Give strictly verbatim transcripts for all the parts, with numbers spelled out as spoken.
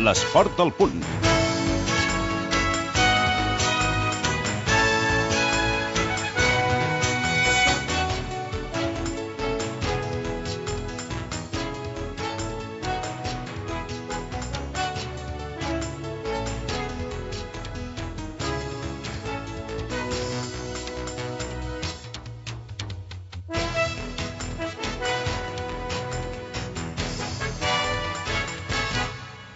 l'esport al punt.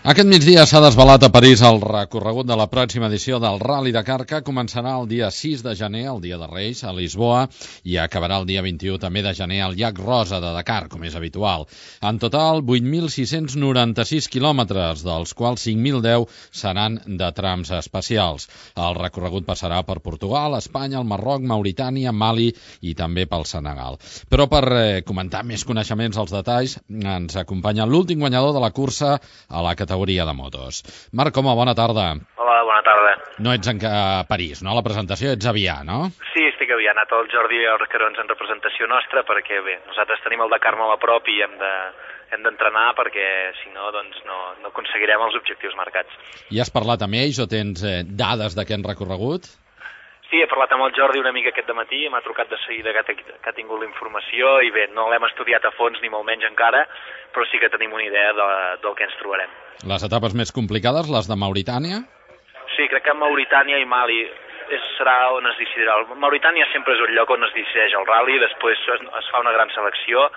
Aquest migdia s'ha desvelat a París el recorregut de la pròxima edició del Rally Dakar, que començarà el dia sis de gener, el dia de Reis, a Lisboa, i acabarà el dia vint-i-u també de gener al llac Rosa de Dakar, com és habitual. En total, vuit mil sis-cents noranta-sis quilòmetres, dels quals cinc mil deu seran de trams especials. El recorregut passarà per Portugal, Espanya, el Marroc, Mauritània, Mali i també pel Senegal. Però per eh, comentar més coneixements als detalls, ens acompanya l'últim guanyador de la cursa a la categoria categoria de motos. Marc Coma, bona tarda. Hola, bona tarda. No ets en a París, no? La presentació ets a Avià, no? Sí, estic a Avià. Ha anat el Jordi Arcarons en representació nostra perquè, bé, nosaltres tenim el Dakar molt a prop i hem de hem d'entrenar perquè, si no, doncs no, no aconseguirem els objectius marcats. I has parlat amb ells o tens eh, dades d'aquest recorregut? Sí, he parlat amb el Jordi una mica aquest dematí, m'ha trucat de seguida que, que ha tingut la informació i bé, no l'hem estudiat a fons ni molt menys encara, però sí que tenim una idea de, del que ens trobarem. Les etapes més complicades, les de Mauritània? Sí, crec que Mauritània i Mali és, serà on es decidirà. Mauritània sempre és un lloc on es decideix el rally, després es, es fa una gran selecció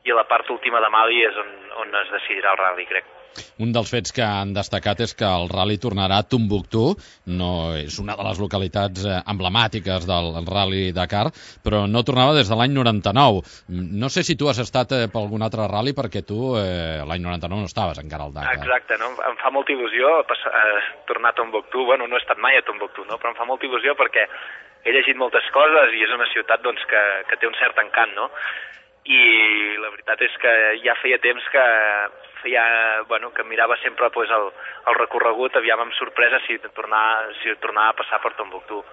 i a la part última de Mali és on, on es decidirà el rally, crec. Un dels fets que han destacat és que el rally tornarà a Tombouctou, no és una de les localitats emblemàtiques del Rally Dakar, però no tornava des de l'any noranta-nou. No sé si tu has estat eh, per algun altre rally, perquè tu eh, l'any noranta-nou no estaves encara al Dakar. Exacte, no? Em fa molta il·lusió passar, eh, tornar a Tombouctou. Bueno, no he estat mai a Tombouctou, no? Però em fa molta il·lusió perquè he llegit moltes coses i és una ciutat doncs, que, que té un cert encant, no? I la veritat és que ja feia temps que feia, bueno, que mirava sempre pues, el, el recorregut, aviam amb sorpresa si tornar, si tornar a passar per Tombouctou.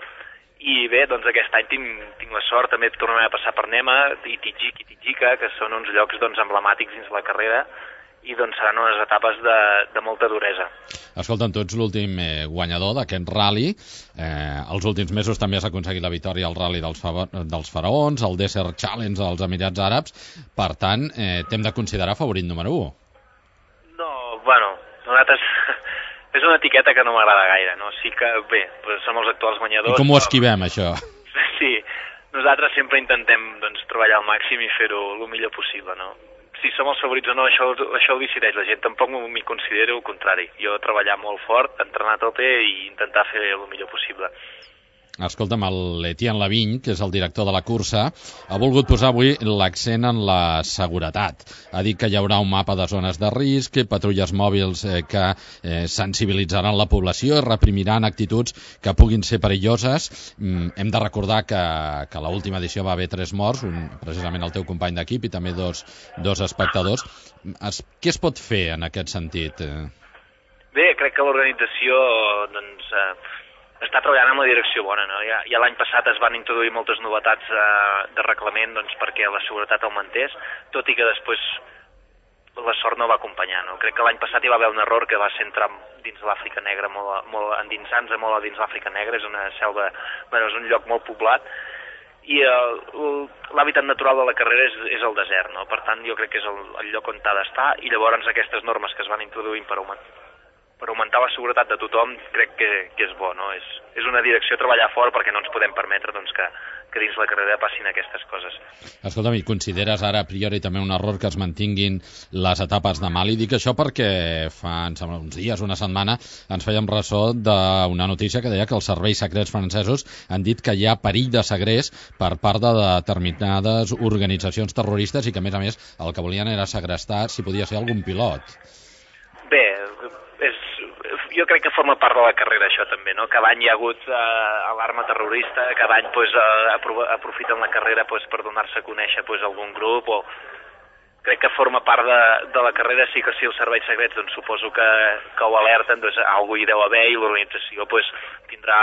I bé, doncs aquest any tinc, tinc la sort també de tornar a passar per Nema i Tijik i Tijika, que són uns llocs doncs, emblemàtics dins la carrera, i doncs seran unes etapes de, de molta duresa. Escolta'm, tu ets l'últim eh, guanyador d'aquest rally. Eh, els últims mesos també has aconseguit la victòria al rally dels, fa dels faraons, el Desert Challenge als Emirats Àrabs. Per tant, eh, t'hem de considerar favorit número u. No, bueno, nosaltres... és una etiqueta que no m'agrada gaire, no? Sí que, bé, doncs som els actuals guanyadors... I com ho esquivem, això? Sí, nosaltres sempre intentem doncs, treballar al màxim i fer-ho el millor possible, no? Si som els favorits o no, això, això ho decideix la gent. Tampoc m'hi considero el contrari. Jo treballar molt fort, entrenar a tope i intentar fer el millor possible. Escolta'm, l'Etienne Lavigne, que és el director de la cursa, ha volgut posar avui l'accent en la seguretat. Ha dit que hi haurà un mapa de zones de risc, patrulles mòbils eh, que eh, sensibilitzaran la població i reprimiran actituds que puguin ser perilloses. Mm, hem de recordar que, que a l'última edició va haver tres morts, un, precisament el teu company d'equip i també dos, dos espectadors. Es, què es pot fer en aquest sentit? Bé, crec que l'organització doncs, eh, està treballant en la direcció bona, no? Ja, ja l'any passat es van introduir moltes novetats eh, de reglament doncs, perquè la seguretat augmentés, tot i que després la sort no va acompanyar, no? Crec que l'any passat hi va haver un error que va ser entrar dins l'Àfrica Negra, molt, molt endinsant-se molt a dins l'Àfrica Negra, és una selva, bueno, és un lloc molt poblat, i l'hàbitat natural de la carrera és, és el desert, no? Per tant, jo crec que és el, el lloc on ha d'estar, i llavors aquestes normes que es van introduint per augmentar per augmentar la seguretat de tothom, crec que, que és bo, no? És, és una direcció a treballar fort perquè no ens podem permetre doncs, que, que dins la carrera passin aquestes coses. Escolta'm, i consideres ara a priori també un error que es mantinguin les etapes de Mali? Dic això perquè fa, em sembla, uns dies, una setmana, ens fèiem ressò d'una notícia que deia que els serveis secrets francesos han dit que hi ha perill de segrest per part de determinades organitzacions terroristes i que, a més a més, el que volien era segrestar si podia ser algun pilot. Bé, és, jo crec que forma part de la carrera això també, no? Cada any hi ha hagut eh, alarma terrorista, cada any pues, eh, aprofiten la carrera pues, per donar-se a conèixer pues, algun grup, o crec que forma part de, de la carrera. Sí que si els serveis secrets doncs, suposo que, que ho alerten, doncs alguna hi deu haver i l'organització pues, tindrà,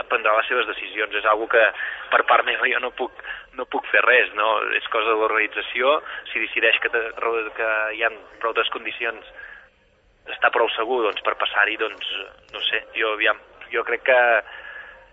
prendrà les seves decisions. És algo que per part meva jo no puc, no puc fer res, no? És cosa de l'organització. Si decideix que, te, que hi ha prou condicions està prou segur doncs, per passar-hi, doncs, no sé, jo, aviam, jo crec que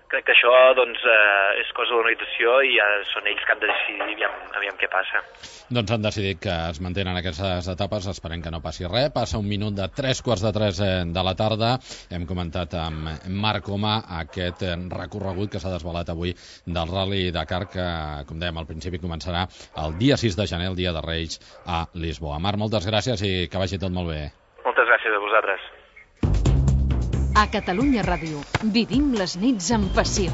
crec que això doncs, eh, és cosa de l'organització i ja són ells que han de decidir aviam, aviam què passa. Doncs han decidit que es mantenen aquestes etapes, esperem que no passi res. Passa un minut de tres quarts de tres de la tarda. Hem comentat amb Marc Coma aquest recorregut que s'ha desvelat avui del Rally Dakar, que, com dèiem al principi, començarà el dia sis de gener, el dia de Reis, a Lisboa. Marc, moltes gràcies i que vagi tot molt bé. Moltes gràcies a vosaltres. A Catalunya Ràdio vivim les nits amb passió.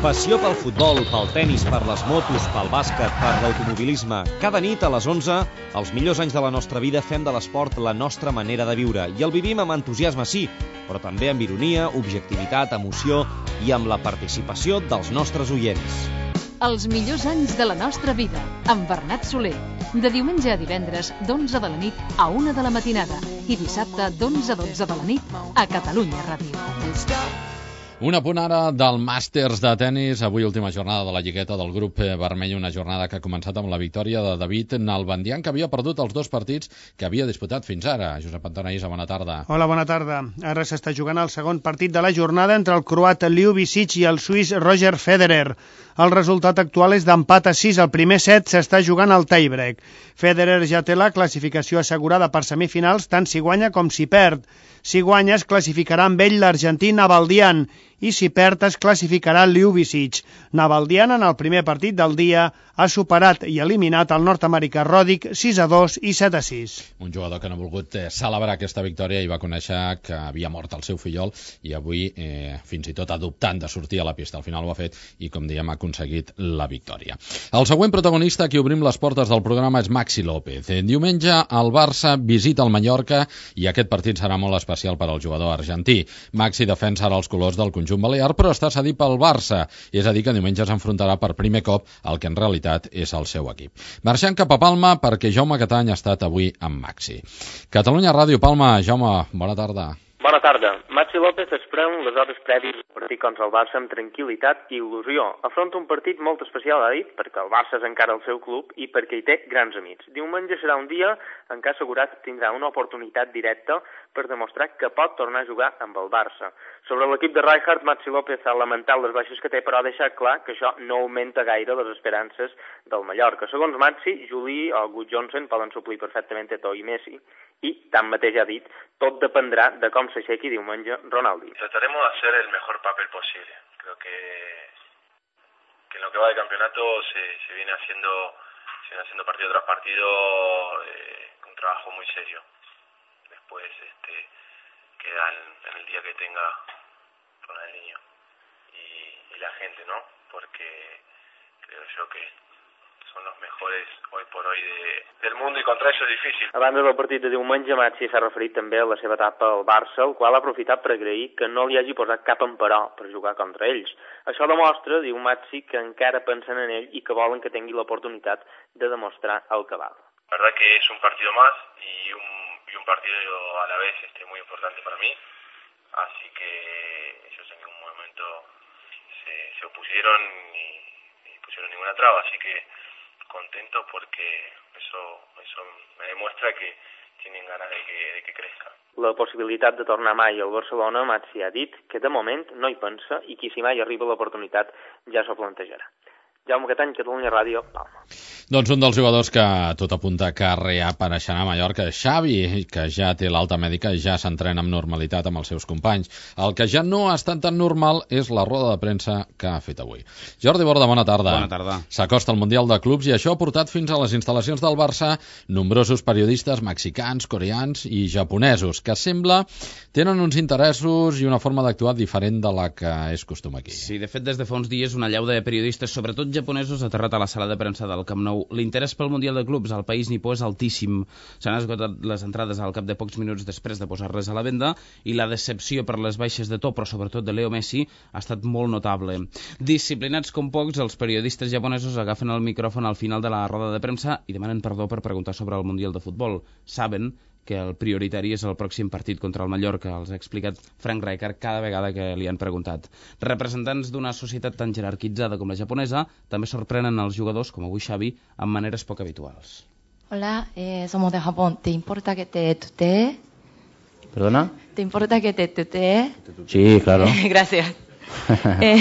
Passió pel futbol, pel tenis, per les motos, pel bàsquet, per l'automobilisme. Cada nit a les onze, els millors anys de la nostra vida fem de l'esport la nostra manera de viure. I el vivim amb entusiasme, sí, però també amb ironia, objectivitat, emoció i amb la participació dels nostres oients. Els millors anys de la nostra vida, amb Bernat Soler. De diumenge a divendres, d'onze de la nit a una de la matinada. I dissabte, d'onze a dotze de la nit, a Catalunya Ràdio. Un apunt ara del Màsters de tennis. Avui última jornada de la lligueta del grup vermell, una jornada que ha començat amb la victòria de David Nalbandian, que havia perdut els dos partits que havia disputat fins ara. Josep Antoniza, bona tarda. Hola, bona tarda. Ara s'està jugant el segon partit de la jornada entre el croat Liu Bicic i el suís Roger Federer. El resultat actual és d'empat a sis. El primer set s'està jugant al tiebreak. Federer ja té la classificació assegurada per semifinals, tant si guanya com si perd. Si guanya, es classificarà amb ell l'argentí Nalbandian i si perd es classificarà Liu Bicic. Nalbandian, en el primer partit del dia, ha superat i eliminat el nord-americà Roddick sis a dos i set a sis. Un jugador que no ha volgut eh, celebrar aquesta victòria i va conèixer que havia mort el seu fillol i avui eh, fins i tot adoptant de sortir a la pista. Al final ho ha fet i, com diem, ha aconseguit la victòria. El següent protagonista a qui obrim les portes del programa és Maxi López. Eh, diumenge el Barça visita el Mallorca i aquest partit serà molt especial per al jugador argentí. Maxi defensa ara els colors del conjunt balear, però està cedit pel Barça, és a dir que diumenge s'enfrontarà per primer cop al que en realitat és el seu equip. Marxant cap a Palma perquè Jaume Catany ha estat avui amb Maxi. Catalunya Ràdio, Palma. Jaume, bona tarda. Bona tarda. Maxi López es pren les hores prèvies al partit contra el Barça amb tranquil·litat i il·lusió. Afronta un partit molt especial, ha dit, perquè el Barça és encara el seu club i perquè hi té grans amics. Diumenge serà un dia en què assegurat tindrà una oportunitat directa per demostrar que pot tornar a jugar amb el Barça. Sobre l'equip de Rijkaard, Maxi López ha lamentat les baixes que té, però ha deixat clar que això no augmenta gaire les esperances del Mallorca. Segons Maxi, Juli o Gudjohnsen poden suplir perfectament Eto'o i Messi, i, tanmateix ha dit, tot dependrá de com s'aixequi diumenge Ronaldo. Trataremos de hacer el mejor papel posible. Creo que, que en lo que va de campeonato se, se viene haciendo se viene haciendo partido tras partido eh, un trabajo muy serio. Después este, queda en, en el día que tenga con el niño y, y la gente, ¿no? Porque creo yo que són els mejores hoy por hoy de, del mundo i contra això és difícil. A banda del partit de diumenge, Maxi s'ha referit també a la seva etapa al Barça, el qual ha aprofitat per agrair que no li hagi posat cap emperò per jugar contra ells. Això demostra, diu Maxi, que encara pensen en ell i que volen que tingui l'oportunitat de demostrar el que val. La verdad que es un partido más y un, y un partido a la vez este, muy importante para mí, así que ellos en ningún momento se, se opusieron ni, ni pusieron ninguna traba, así que contento porque eso, eso me demuestra que tienen ganas de que, de que crezca. La possibilitat de tornar mai al Barcelona, Maxi ha dit que de moment no hi pensa i que si mai arriba l'oportunitat ja s'ho plantejarà. Jaume Catany, Catalunya Ràdio, Palma. Doncs un dels jugadors que tot apunta que reapareixerà a Mallorca és Xavi, que ja té l'alta mèdica i ja s'entrena amb normalitat amb els seus companys. El que ja no ha estat tan normal és la roda de premsa que ha fet avui. Jordi Borda, bona tarda. Bona tarda. S'acosta el Mundial de Clubs i això ha portat fins a les instal·lacions del Barça nombrosos periodistes mexicans, coreans i japonesos, que sembla tenen uns interessos i una forma d'actuar diferent de la que és costum aquí. Sí, de fet, des de fa uns dies una allau de periodistes, sobretot japonesos, ha aterrat a la sala de premsa del Camp Nou. L'interès pel Mundial de Clubs al país nipó és altíssim. S'han esgotat les entrades al cap de pocs minuts després de posar-les a la venda i la decepció per les baixes de to, però sobretot de Leo Messi, ha estat molt notable. Disciplinats com pocs, els periodistes japonesos agafen el micròfon al final de la roda de premsa i demanen perdó per preguntar sobre el Mundial de Futbol. Saben que el prioritari és el pròxim partit contra el Mallorca, els ha explicat Frank Rijkaard cada vegada que li han preguntat. Representants d'una societat tan jerarquitzada com la japonesa també sorprenen els jugadors, com avui Xavi, amb maneres poc habituals. Hola, eh, somos de Japón. ¿Te importa que te tutee? ¿Perdona? ¿Te importa que te tutee? Sí, claro. Gràcies. eh...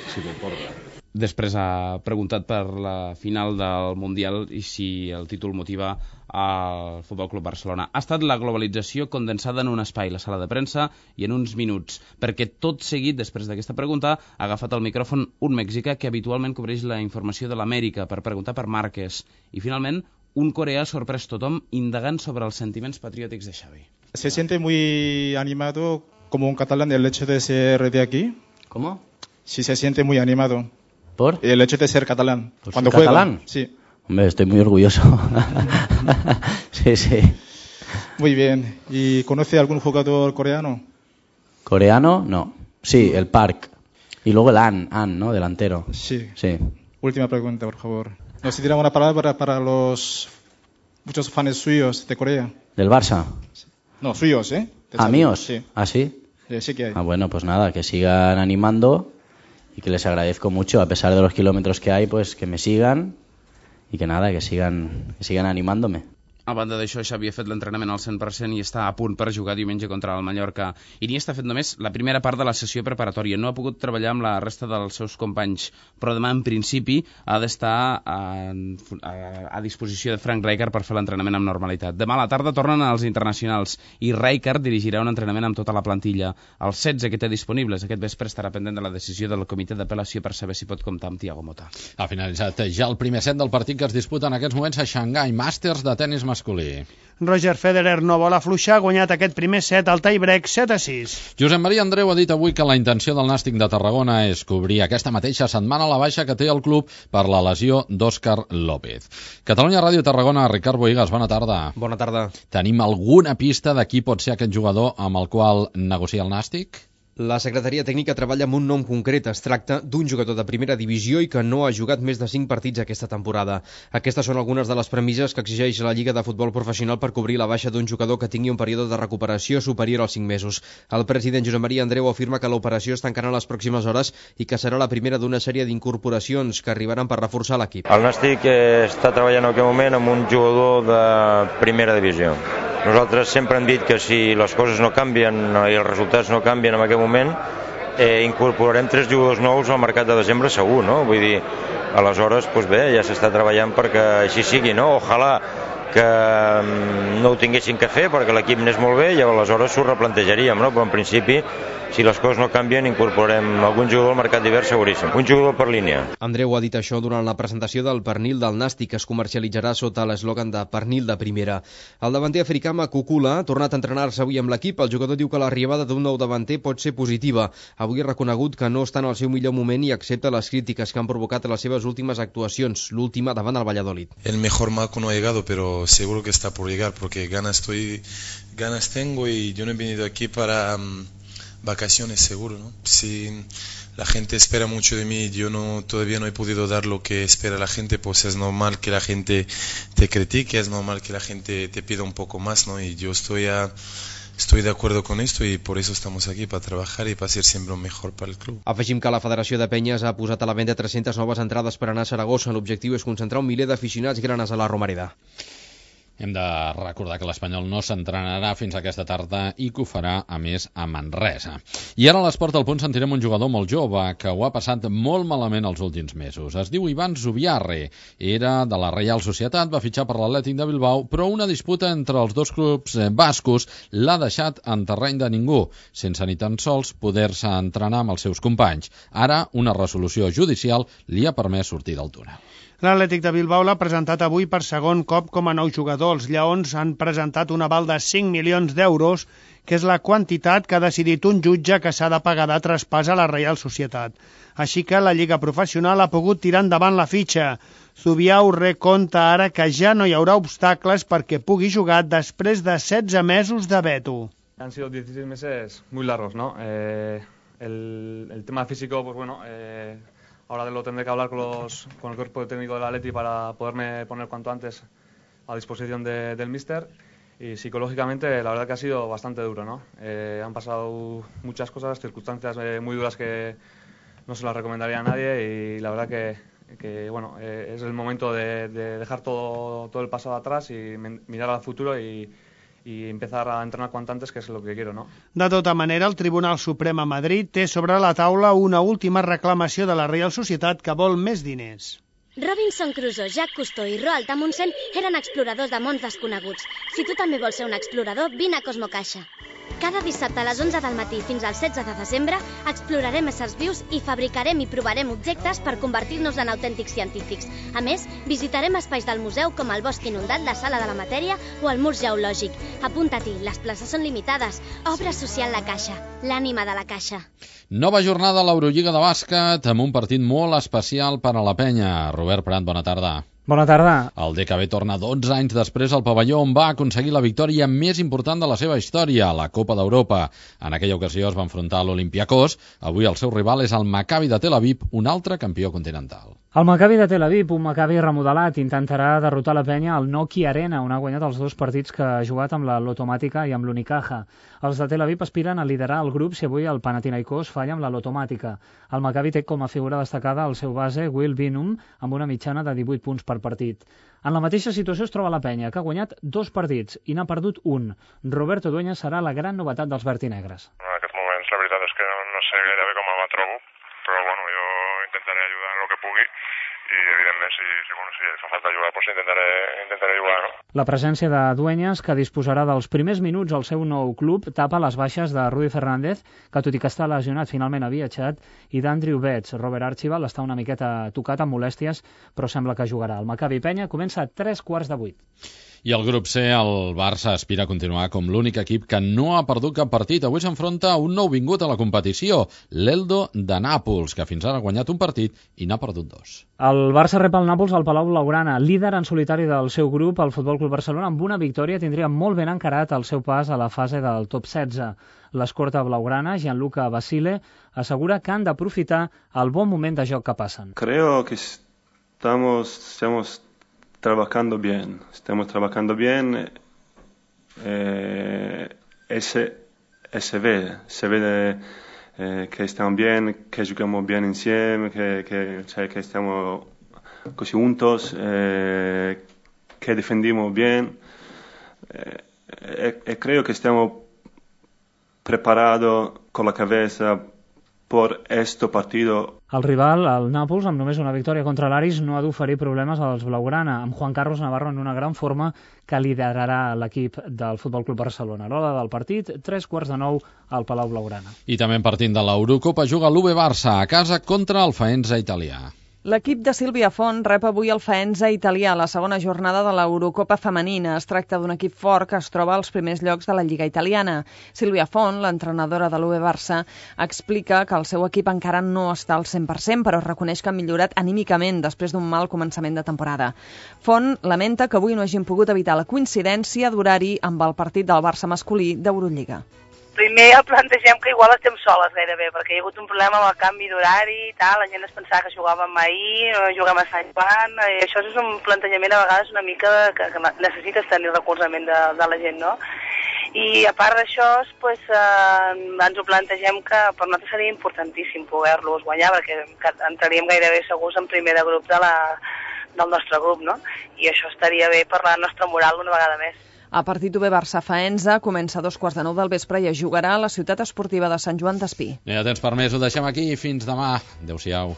Si t'importa. Després ha preguntat per la final del Mundial i si el títol motiva al Futbol Club Barcelona. Ha estat la globalització condensada en un espai, la sala de premsa, i en uns minuts, perquè tot seguit, després d'aquesta pregunta, ha agafat el micròfon un mexicà que habitualment cobreix la informació de l'Amèrica per preguntar per Márquez. I finalment, un coreà ha sorprès tothom indagant sobre els sentiments patriòtics de Xavi. Se siente muy animado como un catalán el hecho de ser de aquí. ¿Cómo? Sí, se siente muy animado. ¿Por? El hecho de ser catalán. ¿Por Cuando ser juega, catalán? Sí. Hombre, estoy muy orgulloso. Sí, sí. Muy bien. ¿Y conoce algún jugador coreano? ¿Coreano? No. Sí, el Park. Y luego el An, An, ¿no? Delantero. Sí. Sí. Última pregunta, por favor. ¿Nos dirá una palabra para los muchos fans suyos de Corea? ¿Del Barça? No, suyos, ¿eh? ¿Ah, míos? Sí. ¿Ah, sí? Sí, sí que hay. Ah, bueno, pues nada, que sigan animando y que les agradezco mucho, a pesar de los kilómetros que hay, pues que me sigan y que nada, que sigan, que sigan animándome. A banda d'això, Xavi ha fet l'entrenament al cent per cent i està a punt per jugar diumenge contra el Mallorca. Iniesta ha fet només la primera part de la sessió preparatòria. No ha pogut treballar amb la resta dels seus companys, però demà, en principi, ha d'estar a, a, a disposició de Frank Rijkaard per fer l'entrenament amb normalitat. Demà a la tarda tornen els internacionals i Rijkaard dirigirà un entrenament amb tota la plantilla. Els setze que té disponibles aquest vespre estarà pendent de la decisió del comitè d'apel·lació per saber si pot comptar amb Thiago Motta. Ha finalitzat ja el primer set del partit que es disputa en aquests moments a Xangai, Màsters de tenis masculí. Roger Federer no vol afluixar, ha guanyat aquest primer set al tie-break set a sis. Josep Maria Andreu ha dit avui que la intenció del Nàstic de Tarragona és cobrir aquesta mateixa setmana la baixa que té el club per la lesió d'Òscar López. Catalunya Ràdio Tarragona, Ricard Boigas, bona tarda. Bona tarda. Tenim alguna pista de qui pot ser aquest jugador amb el qual negocia el Nàstic? La secretaria tècnica treballa amb un nom concret. Es tracta d'un jugador de primera divisió i que no ha jugat més de cinc partits aquesta temporada. Aquestes són algunes de les premisses que exigeix la Lliga de Futbol Professional per cobrir la baixa d'un jugador que tingui un període de recuperació superior als cinc mesos. El president Josep Maria Andreu afirma que l'operació es tancarà en les pròximes hores i que serà la primera d'una sèrie d'incorporacions que arribaran per reforçar l'equip. El Nàstic està treballant en aquest moment amb un jugador de primera divisió. Nosaltres sempre hem dit que si les coses no canvien i els resultats no canvien en aquest moment, eh, incorporarem tres jugadors nous al mercat de desembre segur, no? Vull dir, aleshores, doncs bé, ja s'està treballant perquè així sigui, no? Ojalà que no ho tinguessin que fer perquè l'equip n'és molt bé i aleshores s'ho replantejaríem, no? Però en principi, si les coses no canvien, incorporarem algun jugador al mercat d'hivern seguríssim. Un jugador per línia. Andreu ha dit això durant la presentació del pernil del Nàstic, que es comercialitzarà sota l'eslògan de pernil de primera. El davanter africà Makukula ha tornat a entrenar-se avui amb l'equip. El jugador diu que l'arribada d'un nou davanter pot ser positiva. Avui ha reconegut que no està en el seu millor moment i accepta les crítiques que han provocat les seves últimes actuacions, l'última davant el Valladolid. El mejor Maku no ha llegado, pero seguro que está por llegar, porque ganas, estoy, ganas tengo y yo no he venido aquí para um, vacaciones seguro, ¿no? Si la gente espera mucho de mí, yo no todavía no he podido dar lo que espera la gente, pues es normal que la gente te critique, es normal que la gente te pida un poco más, ¿no? Y yo estoy a Estoy de acuerdo con esto y por eso estamos aquí, para trabajar y para ser siempre lo mejor para el club. Afegim que la Federació de Penyes ha posat a la venda tres-centes noves entrades per anar a Saragossa. L'objectiu és concentrar un miler d'aficionats granes a la Romareda. Hem de recordar que l'Espanyol no s'entrenarà fins aquesta tarda i que ho farà, a més, a Manresa. I ara a l'Esport al Punt sentirem un jugador molt jove que ho ha passat molt malament els últims mesos. Es diu Ivan Zubiarre. Era de la Reial Societat, va fitxar per l'Atlètic de Bilbao, però una disputa entre els dos clubs bascos l'ha deixat en terreny de ningú, sense ni tan sols poder-se entrenar amb els seus companys. Ara, una resolució judicial li ha permès sortir del túnel. L'Atlètic de Bilbao l'ha presentat avui per segon cop com a nou jugador. Els Lleons han presentat un aval de cinc milions d'euros, que és la quantitat que ha decidit un jutge que s'ha de pagar de traspàs a la Reial Societat. Així que la Lliga Professional ha pogut tirar endavant la fitxa. Zubiarre conta ara que ja no hi haurà obstacles perquè pugui jugar després de setze mesos de veto. Han sido dieciséis meses muy largos, ¿no? Eh, el, el tema físico, pues bueno... Eh... Ahora lo tendré que hablar con, los, con el cuerpo técnico del Atleti para poderme poner cuanto antes a disposición de, del míster. Y psicológicamente la verdad que ha sido bastante duro, ¿no? Eh, han pasado muchas cosas, circunstancias eh, muy duras que no se las recomendaría a nadie y la verdad que, que bueno, eh, es el momento de, de dejar todo, todo el pasado atrás y mirar al futuro y, y empezar a entrenar cuanto antes, que es lo que quiero, ¿no? De tota manera, el Tribunal Suprem a Madrid té sobre la taula una última reclamació de la Reial Societat que vol més diners. Robinson Crusoe, Jacques Cousteau i Roald Amundsen eren exploradors de mons desconeguts. Si tu també vols ser un explorador, vine a Cosmocaixa. Cada dissabte a les onze del matí fins al setze de desembre explorarem éssers vius i fabricarem i provarem objectes per convertir-nos en autèntics científics. A més, visitarem espais del museu com el Bosc Inundat, la Sala de la Matèria o el Mur Geològic. Apunta-t'hi, les places són limitades. Obra social La Caixa, l'ànima de la Caixa. Nova jornada a l'Eurolliga de bàsquet amb un partit molt especial per a la penya. Robert Prat, bona tarda. Bona tarda. El D K B torna dotze anys després al pavelló on va aconseguir la victòria més important de la seva història, la Copa d'Europa. En aquella ocasió es va enfrontar a l'Olympiakos. Avui el seu rival és el Maccabi de Tel Aviv, un altre campió continental. El Maccabi de Tel Aviv, un Maccabi remodelat, intentarà derrotar la penya al Nokia Arena, on ha guanyat els dos partits que ha jugat amb la Lotomàtica i amb l'Unicaja. Els de Tel Aviv aspiren a liderar el grup si avui el Panathinaikos falla amb la Lotomàtica. El Maccabi té com a figura destacada el seu base, Will Binum, amb una mitjana de divuit punts per partit. En la mateixa situació es troba la penya, que ha guanyat dos partits i n'ha perdut un. Roberto Dueñas serà la gran novetat dels vertinegres. En aquests moments la veritat és que no sé gairebé com me trobo, però bueno, jo intentaré ajudar en el que pugui i evidentment si, si, bueno, si fa falta jugar doncs intentaré, intentaré jugar, no? La presència de Dueñas, que disposarà dels primers minuts al seu nou club, tapa les baixes de Rudy Fernández, que tot i que està lesionat finalment ha viatjat, i d'Andrew Betts. Robert Archibald està una miqueta tocat amb molèsties, però sembla que jugarà. El Maccabi Penya comença a tres quarts de vuit. I el grup C, el Barça aspira a continuar com l'únic equip que no ha perdut cap partit. Avui s'enfronta a un nou vingut a la competició, l'Eldo de Nàpols, que fins ara ha guanyat un partit i n'ha perdut dos. El Barça rep el Nàpols al Palau Blaugrana, líder en solitari del seu grup, el Futbol Club Barcelona, amb una victòria tindria molt ben encarat el seu pas a la fase del top setze. L'escorta blaugrana, Gianluca Basile, assegura que han d'aprofitar el bon moment de joc que passen. Creo que estamos, estamos trabajando bien, estamos trabajando bien, eh, ese, se ve, se ve de, eh, que estamos bien, que jugamos bien insieme, que, que, cioè, que estamos così juntos, eh, que defendimos bien, eh, e, e creo que estamos preparados con la cabeza por este partido. El rival, el Nàpols, amb només una victòria contra l'Aris, no ha d'oferir problemes als blaugrana, amb Juan Carlos Navarro en una gran forma que liderarà l'equip del Futbol Club Barcelona. A l'hora del partit, tres quarts de nou al Palau Blaugrana. I també partint de l'Eurocopa juga l'U B Barça a casa contra el Faenza italià. L'equip de Sílvia Font rep avui el Faenza italià a la segona jornada de l'Eurocopa femenina. Es tracta d'un equip fort que es troba als primers llocs de la Lliga italiana. Sílvia Font, l'entrenadora de l'U B Barça, explica que el seu equip encara no està al cent per cent, però reconeix que ha millorat anímicament després d'un mal començament de temporada. Font lamenta que avui no hagin pogut evitar la coincidència d'horari amb el partit del Barça masculí d'Eurolliga. Primer el plantegem que igual estem soles gairebé, perquè hi ha hagut un problema amb el canvi d'horari i tal, la gent es pensava que jugàvem ahir, no juguem a Sant Joan, i això és un plantejament a vegades una mica que, que necessites tenir recolzament de, de la gent, no? I a part d'això, pues, eh, ens ho plantegem que per nosaltres seria importantíssim poder-los guanyar, perquè entraríem gairebé segurs en primer de grup de la, del nostre grup, no? I això estaria bé per la nostra moral una vegada més. El partit U B Barça-Faenza comença a dos quarts de nou del vespre i es jugarà a la ciutat esportiva de Sant Joan d'Espí. Ja tens permès, ho deixem aquí. Fins demà. Adéu-siau.